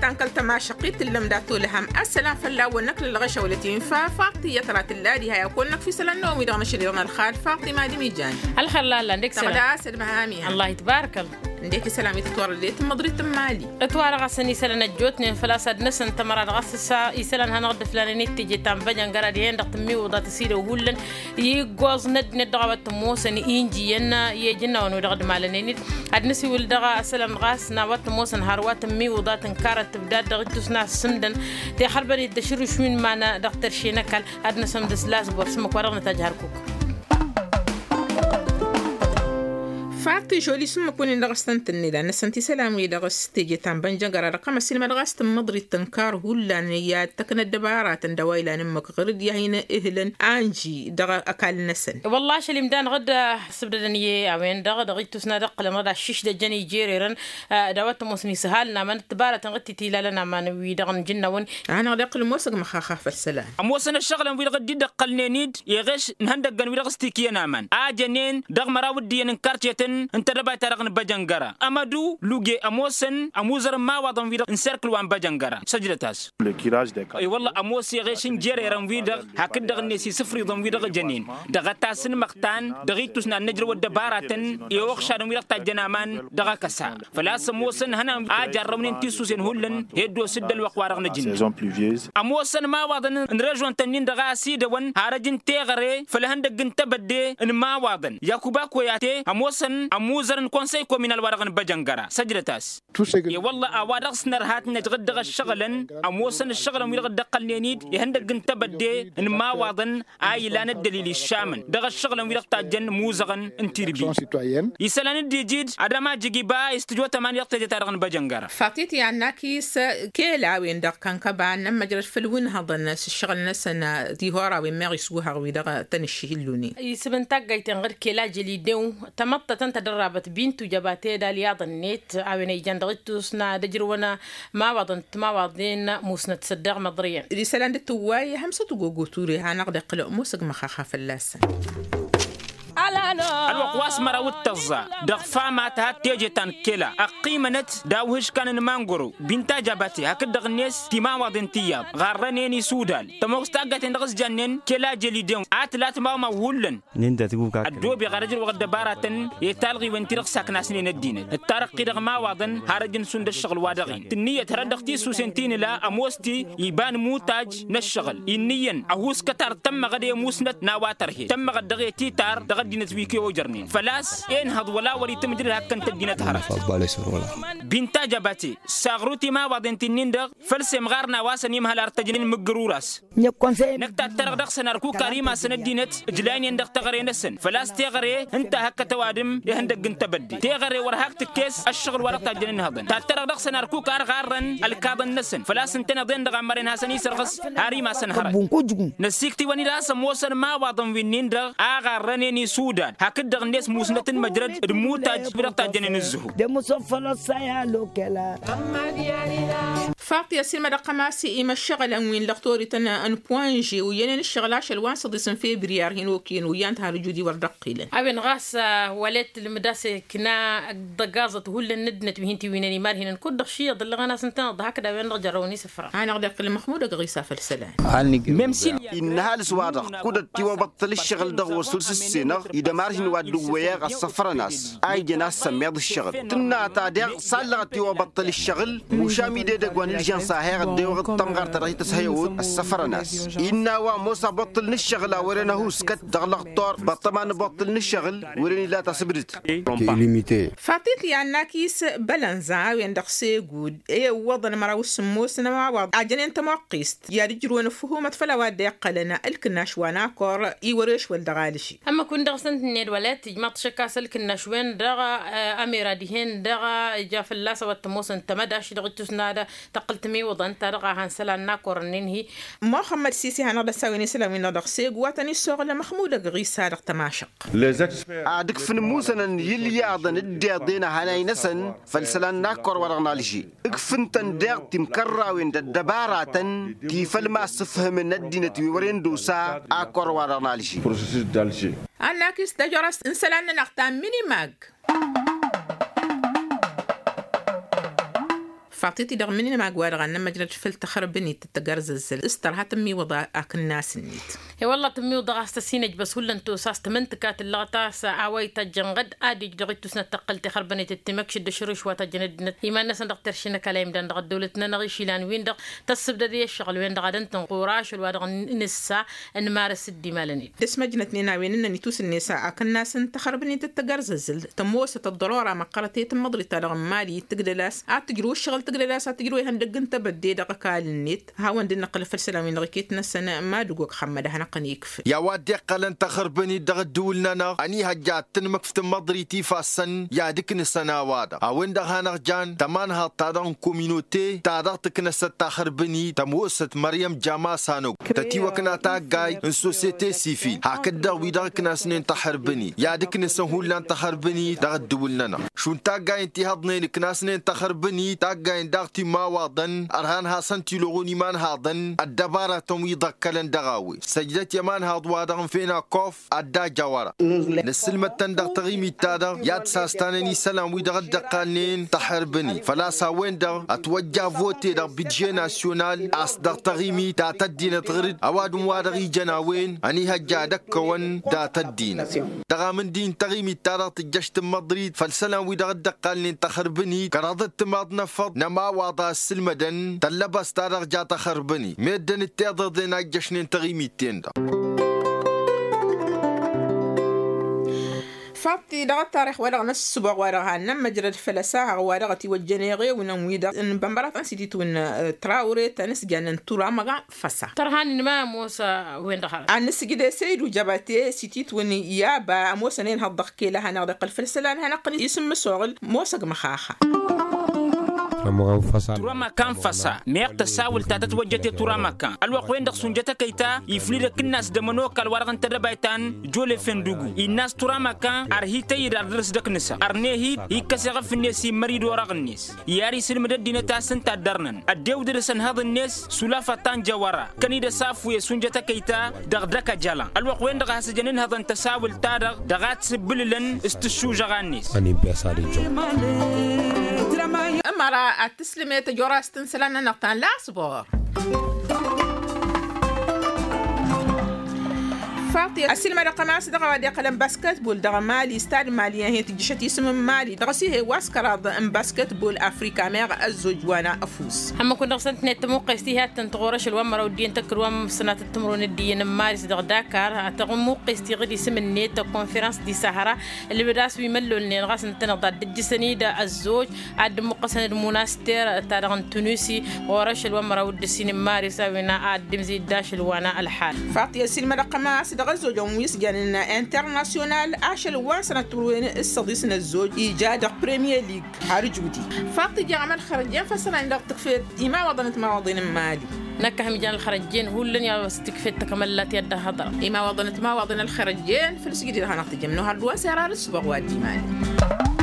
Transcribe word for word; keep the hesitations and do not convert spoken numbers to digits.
Ănkăl tămašăqqit tǝllăm dat-olăhăm ăssălam fălla-wăn năkk lălɣăšăwălăt infa faṭi i-tăra tǝlla diha i-ad-kăwăn-năkf isălan n-omi dăɣ-măšăl iḍan ălxal faṭi mad-imijăn. Ălxălla ăllan dek sălam tăɣda a-s ălmăhamiha. Ăllah itbarkăl. Ǝndek isălan wi tǝtwărădet n-măḍrit n-mali. Ǝtwarăɣ-asăn isălan ăjjootnen făl-a-s ad-năsăn tămăra dăɣ-a-s ǝssa isălan hanăɣ-dd-ǝflanen i-teje ta n-băjăngăra dihen-dăɣ tǝmmiwǝḍa tăsidăw hullan. Iggoẓ n-ăddinăt dăɣ-a-wa t-ămoosăn injiyăn i-ijǝnnawăn wi dăɣ-dd-malănen-dd. Ad-nǝsiwǝl dăɣ-a-s ălămɣas n-a-wa t-ămoosăn hărwa tǝmmiwǝḍa tǝnkarăt tǝbdad dăɣ-ittus n-a ăssǝmdăn. Tixărbăn-dd ašǝrrǝš wi n-iman dăɣ-tărše n-ăkall. Ad-năsămdǝs lasbor s-ǝmmǝk wa dăɣ-nătaj hărkuk. Faṭi žoli s-ǝmmǝk-win-in dăɣ-s tăn-tǝnned ad-năsăn tisălan-wi-dăɣ s-teje ta n-bănjăngăra dăɣ-kămăs ilmădăɣ a-s tǝmmǝḍrit tǝnkar hullan i-ad-tăknăt dăbaratăn d-a-wa ilan ǝmmǝk ɣǝr-dd i-ad-hin ǝhlǝn anji dăɣ-ăkall-năsăn. Wălla ašăl imdan ɣǝd sǝbdădăn i-a-wen-dăɣ dăɣ-ittus n-ad-ǝqqǝlăn ɣǝd aššiš d-ăjjăn ijererăn. D-a-wa t-ămoosăn isǝhalăn aman d-tǝbaratăn ɣǝd titilalăn aman-wi-dăɣ n-ijǝnnawăn. Hanăɣ-dd-iqqǝl ămoosăg măxaxa făll-isălan. Ămoosăn ăššăɣǝlăn-wi-dăɣ dd-dd-ăqqălnen-dd iɣeš n-ihăndăggăn-wi-dăɣ s-tikǝyăn aman a jănen dăɣ-măraw ǝddǝyăn n-karcetăn n-tedăbayt-ta-dăɣ n-băjăngăra. Ămădu luge ămoosăn ămuzăr n-imawaḍăn-wi-dăɣ n-serkǝl wa n-băjăngăra săjdăt-as. I-wălla ămoos iɣeš n-jererăn-wi-dăɣ hakd-dăɣ-net isǝfriḍăn-wi-dăɣ jănen dăɣ-ătasǝnmăɣtan dăɣ-ittus n-ad-nǝjrăw ăddăbaratăn i-uɣšadăn-wi-dăɣ tajjăn aman dăɣ-akăsa. Făl-a-s ămoosăn hănan a jarrăwnen tisusen hullan. Hed-oss dd-ălwăqq-wa-dăɣ n-ajǝnna. Ămoosăn imawaḍăn n-režon-tăn-in-dăɣ a ăsidăwăn har ăj n-teɣăre făll-ihăndăgg n-tebădde n-imawaḍăn yakuba koyate ămoosăn ămuzăr n-konsăy kominal wa-dăɣ n-băjăngăra săjdăt-as. I-wălla a-wa dăɣ-s nărha ad-t-năj ɣǝd dăɣ-ăššăɣǝlăn ămoosăn ăššăɣǝlăn-wi-dăɣ dd-ăqqălnen-dd ihăndăgg n-tebădde n-imawaḍăn a ilan ăddălil iššamăn dăɣ-ăššăɣǝlăn-wi-dăɣ tajjăn imuzăɣăn n-tirbi. Isălan dd-iji-dd ad-ămajǝg iba istǝjotăm a-ni dăɣ-teje-ta-dăɣ n-băjăngăra. Fatit i-ad-nakis kela a-wen-dăɣ kankăba n-ămmăjrăd făll-wi n-hăḍăn s-ǝššăɣǝl-năsăn. Tihorawen meɣ iswǝhăɣ wi-dăɣ tăn-ǝššihǝllune isǝm n-taggayt-en ɣǝr kela jăli dew tamăḍtătăn tadărrabăt bintu jăbate d-alyaḍ-net a-wen a ijan dăɣ-ittus n-ad-ǝjrǝwăn imawaḍăn timawaḍen musnăt săddeɣ măḍriyăn. Isălan dd-tǝwway hămsăt ugogo ture hanăɣ-dd-iqqǝl ămoosăg măxaxa fălla-săn. Ălwăqq wa s-măraw d-tăẓẓa dăɣ-fama tăhat teje ta n-kela ăqqimănăt d-awhǝžkan n-mangoro binta jabate hakd-dăɣ-net timawaḍen tiyyăḍ ɣarrănen isudal tămoos taggayt-en dăɣ-s jannen kela jăli dew a tǝla timawmaw hullan. Ăddoobeɣ ad-ăjrăwăɣ ăddăbaratăn i-talɣiwen-ti-dăɣ saknasnen ăddinăt d-tarăqqi dăɣ-imawaḍăn har ăj n-sund ăššăɣǝl-wa-dăɣ-in tǝnniyăt hărăt dăɣ-tisusen ti nǝla ămoos-ti iba n-imutaj n-ăššăɣǝl inniyăn ăhuuskăt ar tămmăɣăd i-musnăt n-a-wa tărhed tămmăɣăd dăɣ-e titar dăɣ-ăddinăt wi kăy-ojărnen făl-a-s enhăḍ wăla wăr-itǝmǝjrǝd hakkăn-t ăddinăt hărăt. Binta jabate saɣru timawaḍen ti-nin-dăɣ făl semɣar n-a-wa săn imhăl ar tăjnen mǝggăr uras. Năkk tattărăɣ dăɣ-săn ărkuk ar imasăn ăddinăt ǝjlaynen dăɣ-teɣăre-năsăn făl-a-s teɣăre ǝnta a hăkkăt ăwadǝm ihăndăgg n-tebădde teɣăre wăr hak tǝkkes ăššăɣǝl wa dăɣ-tajjăn ǝnhăḍăn tattărăɣ dăɣ-săn ărkuk ar ɣarrăn ălkaḍăn-năsăn făl-a-s ǝntăneḍ-en-dăɣ a ămmăren hasăn-isărɣǝs har imasăn hărăt. Năssiktǝwăn-dd a-s ămoosăn imawaḍăn wi-nin-dăɣ a ɣarrănen isudal hakd-dăɣ-net musnăt n-măjrăd d-imutaj wi dăɣ-tajjănen ǝzzǝhu. Faṭi ăssiilmădăɣ-tăm a-s i-imăššăɣǝlăn wi n-lăɣtorităn n-puwanže uyyănen ǝššăɣǝl ašăl wa n-săḍis n-febriyar hin-okăyăn uyyăn-t har ǝjud-i wăr dd-ăqqilăn. A-wen ɣas wăla itǝlmǝd a-s ikna dăggaẓăt hullan n-ăddinăt wi hin-tiwǝynen imarhinăn kud-dăɣ šiyyăḍ ǝllăɣăn-as ǝntăneḍ hakd a-wen-dăɣ jărrăwăn isǝfra. Hanăɣ-dd-iqqǝl măxmud ăgg ɣisa făll-isălan. Mem s-ilya innă ăhalǝs wa-dăɣ kud-ăttiwăbăṭṭăl ǝššăɣǝl dăɣ-wăr săl s-ǝssenăɣ idămar-hin wa dd-ǝwwăyăɣ ăssăfrăn-as a ijăn a-s sămmiḍ ǝššăɣǝl tǝnna ta deɣ s-allăɣ ăttiwăbăṭṭăl ǝššăɣǝl mušam idedăgg wa n-ilžăn s-a heɣ ăddewăɣ d-tămɣart ta dăɣ-hi tăshăyăwăt ăssăfrăn-as. Innă a-wa ămoos abăṭṭǝl n-ǝššăɣǝl a wăren ăhuuskăt dăɣ-lăɣtor băṭṭăma n-abăṭṭǝl n-ǝššăɣǝl wăren ila tasǝbdǝt. Fatit i-ad-nakis bălănza a-wen-dăɣ s-egud i-iwwăḍăn măraw s-sǝmmos n-ămawaḍ a jănen tămoqqist i-ad-ǝjrǝwăn ăffǝhumăt făll-a-wa dd-iqqălăn ǝlkǝnnaš wa n-akor i-wăr-ešwăl dăɣ-alǝši. Ămmăk-win-dăɣ s-ǝntǝnned wăla tijmaḍ tǝššǝk a-s ǝlkǝnnaš-wen-dăɣ amera dihen-dăɣ ija fălla-s a-wa t-ămoosăn tămădaš dăɣ-ittus n-ad-a tăqqǝl timiwǝḍăn ta dăɣ-a han isălan n-akor-nin-hi. Muxămmăd sisi hanăɣ-dd-ăssawen isălan-win-dăɣ dăɣ-segu wa tăn-issoɣlăm măxmud ăgg ɣisa dăɣ-tămašăq. Ad-ǝkfǝn imusănăn i-ilyaḍăn dd-iḍen ăhanay-năsăn făll-isălan n-akor wa dăɣ-nalži. Ǝkfǝn-tăn daɣ timkărrawen d-ăddăbaratăn ti făll-ma ăssǝfhǝmăn ăddinăt wi wăren d-osa akor wa dăɣ-nalži. Ad-nakis tajorăst n-isălan-nănăɣ ta n-minimag. Faḍt-i-ti-dăɣ mǝnǝnmag-wa-dăɣ a n-ămmăjrăd făll-taxărbănit d-tagărzăzzăl s-tărha tǝmmiwǝḍ akǝnnas-net. I-wălla tǝmmiwǝḍ a-s tăsinăjbăs hullan tusas tǝmǝntǝka tǝllăɣ ta a-s a-wa ităjjăn ɣǝd ad-ija dăɣ-ittusnăt tăqqăl tixărbănit d-timăkšǝd d-ašrǝš wa tăjjăn ăddinăt iman-năsăn dăɣ-terše n-ăkall a imdan dăɣ-ăddăwlăt-nănăɣ išilan-win-dăɣ tăssǝbdăd i-ăššăɣǝl-wen-dăɣ ad-ǝntǝn ɣur-ašăl wa dăɣ-nǝssa n-imarăs d-imalăn-dd. Dăr-s măjnătnen a-wen ǝnnăn itusǝnnes akǝnnas n-taxărbănit d-tagărzăzzăl tămoosăt ăḍḍărora măqqărăt i-tǝmmăḍrit-ta-dăɣ n-imali tǝgdăl-as ad-tǝjrǝw ǝššăɣǝl tǝgdăl-as ad-tǝjrǝw ihăndăgg n-tebădde dăɣ-ăkall-net. Hawăn-dd-năqqǝl făll-isălan-win-dăɣ iket-năsăn mad-ǝgg wa kăxămmăd ad-hanăɣ-tăn-ikfǝl. I-a-wa dd-iqqălăn taxărbănit dăɣ-ǝddǝwǝl-nănăɣ ănihăjja ad-tǝnmǝkf tǝmmăḍrit ifassăn i-ad-ǝknǝsăn a-wa-dăɣ a-wen-dăɣ hanăɣ-jan tămanhaḍt-ta-dăɣ n-kominote ta dăɣ-tǝknăsăt taxărbănit tămoosăt măryăm jama sanăggu tătiwăkna taggay n-sosyete sivil hakd-dăɣ wi-dăɣ ǝknasnen taxărbănit i-ad-ǝknǝsăn hullan taxărbănit dăɣ-ǝddǝwǝl-nănăɣ. Šund taggayen ti hăḍnen ǝknasnen taxărbănit taggayen daɣ timawaḍăn ărhan hasăn-t-iluɣun imanhaḍăn ăddăbaratăn wi ḍăkkălăn dăɣ-a-wen săjdăt i-ămanhaḍ-wa-dăɣ n-fenakof ad-dd-ajawăra. Nǝssǝlmăd-tăn dăɣ-taɣimit-ta-dăɣ i-ad-sastanăn isălan wi dăɣ-dd-ăqqalnen taxărbănit făl-a-s a-wen-dăɣ ătwăjja vote dăɣ-bidže nasyonal a-s dăɣ-taɣimit ta tăddinăt ɣǝr-dd ăwadǝm wa dăɣ-ijăn a-wen ănihăjja ad-ăkkăwăn dat-ăddinăt. Dăɣ-amǝndi n-taɣimit-ta-dăɣ tǝjjăš tǝmmăḍrit făll-isălan wi dăɣ-dd-ăqqalnen taxărbănit kăraḍăt timaḍ n-efăḍ n-ămawaḍa ǝssǝlmădăn tăllăbăst-ta-dăɣ ja taxărbănit meddǝn d-tiḍeḍen a ǝjjăšnen taɣimit-ten-dăɣ. Faḍt-i dăɣ-ăttarix-wa-dăɣ n-ăssǝboɣ-wa-dăɣ hannăn măjrăd făll-ăsaɣăɣ-wa-dăɣ ătiwăjjăn eɣewǝnăn-wi-dăɣ n-bănbăraḍ n-sititwǝn trawre ta n-ǝsjan n-turamaɣa. Făsa tărhan n-ma ămoos a-wen-dăɣ hărăt ad-nǝsǝjǝd esăydu jăbate sititwǝn i-aba ămoosăn enhăḍ dăɣ-kela hanăɣ-dd-iqqăl făll-isălan hanăɣ-tăn-isǝmmǝsoɣǝl. Mosăg măxaxa. Turamakan făsa meɣ tăsawǝlt ta tătwăjjăte turamakan ălwăqq-wen-dăɣ sunjăt ăkăy ta iflǝd akǝnnas d-ămănokal wa-dăɣ n-tedăbayt ta n-jolef n-dugu innă a-s turamakan ărhi tăyyǝd ar dăr-s dăkk-nǝsăn ărneh-dd ikkăs eɣăf-net immări d-orăɣ-net. I-ar isǝlmǝd ăddinăt a-s ǝnta a dd-ărnăn ăddewdăd-s ănhăḍ-net s-ulafăt ta n-jăwăra. Kăn-dd-ăsafuyăs unjăt ăkăy ta dăɣ-dăk-ăjălan ălwăqq-wen-dăɣ a has-ǝjăn ǝnhăḍăn tăsawǝlt-ta-dăɣ dăɣ-ad-sǝbbǝlǝlăn s-tǝššužăɣa-net. Ămăra ad-tǝslǝmet ăjorast n-isălan-nănăɣ ta n-lasbor. Faḍt-i ăsilmădăɣ-tăn a-s dăɣ-a-wa dd-iqqălăn basketbol dăɣ-mali stad mali ăhiyăt tǝjjǝšăt isǝm n-mali dăɣ-s ih'-e wa s-kăraḍ n-basketbol afrika meɣ ăzzoj wa n-afus. Hămmăkun dăɣ-săn tǝnnet tămuqqes ti hi-ad-tăn-tɣur ašăl wa n-măraw d-iyyăn tăkkăd wa n-sănatăt timǝrwen d-iyyăn n-mali s-dăɣ-dakar. Tămuqqes ti ɣǝd isǝm-net konferăns di sahăra ǝlbǝd a-s wi măllolnen ɣas ǝntăneḍ ad-dd-ǝjjǝsăn-dd ăzzoj ad-dd-ǝmmuqqăsăn d-munaster ta dăɣ-n tunisi ɣur-ašăl wa n-măraw d-ǝssin n-maris a-wen ad-dd-imzǝy d-ašăl wa n-ălḥal. Faḍt-i ăsilmădăɣ-tăn a-s dăɣ-ăzzojăn wi s-janen internasyonal ašăl wa n-sănăt turwen s-săḍis n-ăzzoj ija dăɣ-premier lig. Har ǝjudi faḍt-i jaɣăm ălxărăjjen făssălan dăɣ-tǝkfet imawaḍăn d-timawaḍen n-mali. Năkk a hăm ijan ălxărăjjen hullan i-a-wa s-tǝkfet takămăllat i-ad-dd-ăhhăḍrăɣ imawaḍăn d-timawaḍen ălxărăjjen făll-sǝjdǝd hanăɣ-tǝjjăm n-ohăr d-wa n-sera ar ǝssǝboɣ wa dd-imali.